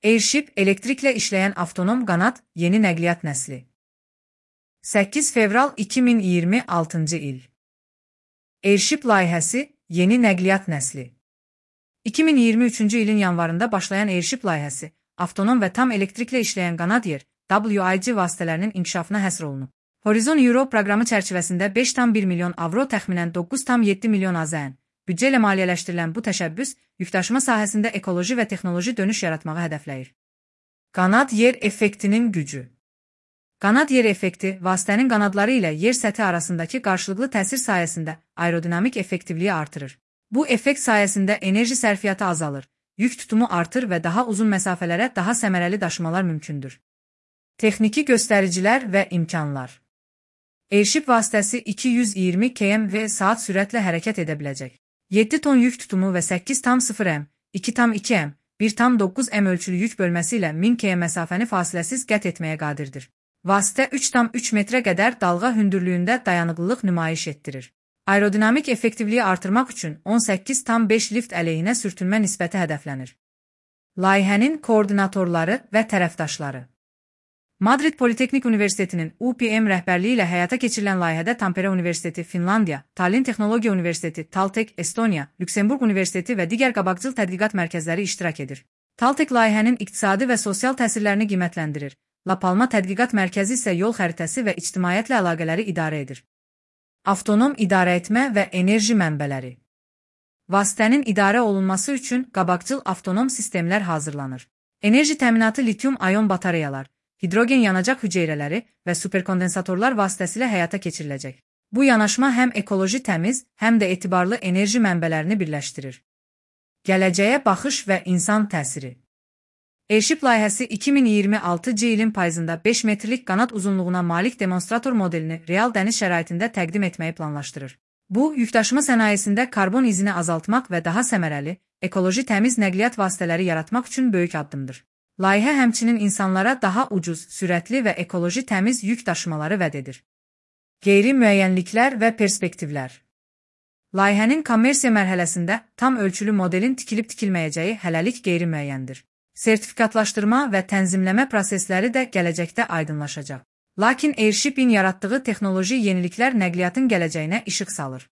Airship elektriklə işləyən avtonom qanad yeni nəqliyyat nəsli. 8 fevral 2026-cı il. Airship layihəsi yeni nəqliyyat nəsli. 2023-cü ilin yanvarında başlayan Airship layihəsi, avtonom və tam elektriklə işləyən qanad yer, WIG vasitələrinin inkişafına həsr olunub. Horizon Euro proqramı çərçivəsində 5,1 milyon avro təxminən 9,7 milyon AZN büdcə ilə maliyyələşdirilən bu təşəbbüs, yükdaşıma sahəsində ekoloji və texnoloji dönüş yaratmağı hədəfləyir. Qanad yer effektinin gücü. Qanad yer effekti, vasitənin qanadları ilə yer səthi arasındakı qarşılıqlı təsir sayəsində aerodinamik effektivliyi artırır. Bu effekt sayəsində enerji sərfiyyatı azalır, yük tutumu artır və daha uzun məsafələrə daha səmərəli daşımalar mümkündür. Texniki göstəricilər və imkanlar. Airship vasitəsi 220 km/saat sürətlə hərəkət edə biləcək. 7 ton yük tutumu və 8,0 m, 2,2 m, 1,9 m ölçülü yük bölməsi ilə 1000 km məsafəni fasiləsiz qət etməyə qadirdir. Vasitə 3,3 metrə qədər dalğa hündürlüyündə dayanıqlılıq nümayiş etdirir. Aerodinamik effektivliyi artırmaq üçün 18,5 lift əleyhinə sürtünmə nisbəti hədəflənir. Layihənin koordinatorları və tərəfdaşları. Madrid Politeknik Universitetinin UPM rəhbərliyi ilə həyata keçirilən layihədə Tampere Universiteti, Finlandiya, Tallinn Texnologiya Universiteti, Taltech, Estoniya, Lüksemburq Universiteti və digər qabaqcıl tədqiqat mərkəzləri iştirak edir. Taltech layihənin iqtisadi və sosial təsirlərini qiymətləndirir. La Palma Tədqiqat Mərkəzi isə yol xəritəsi və ictimaiyyətlə əlaqələri idarə edir. Avtonom idarəetmə və enerji mənbələri. Vasitənin idarə olunması üçün qabaqcıl avtonom sistemlər hazırlanır. Enerji təminatı litium-ayon batareyalar, hidrogen yanacaq hüceyrələri və superkondensatorlar vasitəsilə həyata keçiriləcək. Bu yanaşma həm ekoloji təmiz, həm də etibarlı enerji mənbələrini birləşdirir. Gələcəyə baxış və insan təsiri. Airship layihəsi 2026-cı ilin payızında 5 metrlik qanad uzunluğuna malik demonstrator modelini real dəniz şəraitində təqdim etməyi planlaşdırır. Bu, yükdaşıma sənayesində karbon izini azaltmaq və daha səmərəli, ekoloji təmiz nəqliyyat vasitələri yaratmaq üçün böyük addımdır. Layihə həmçinin insanlara daha ucuz, sürətli və ekoloji təmiz yük daşımaları vəd edir. Qeyri-müəyyənliklər və perspektivlər. Layihənin kommersiya mərhələsində tam ölçülü modelin tikilib-tikilməyəcəyi hələlik qeyri-müəyyəndir. Sertifikatlaşdırma və tənzimləmə prosesləri də gələcəkdə aydınlaşacaq. Lakin Airship'in yaratdığı texnoloji yeniliklər nəqliyyatın gələcəyinə işıq salır.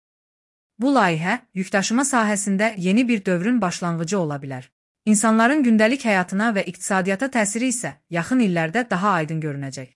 Bu layihə, yükdaşıma sahəsində yeni bir dövrün başlanğıcı ola bilər. İnsanların gündəlik həyatına və iqtisadiyyata təsiri isə yaxın illərdə daha aydın görünəcək.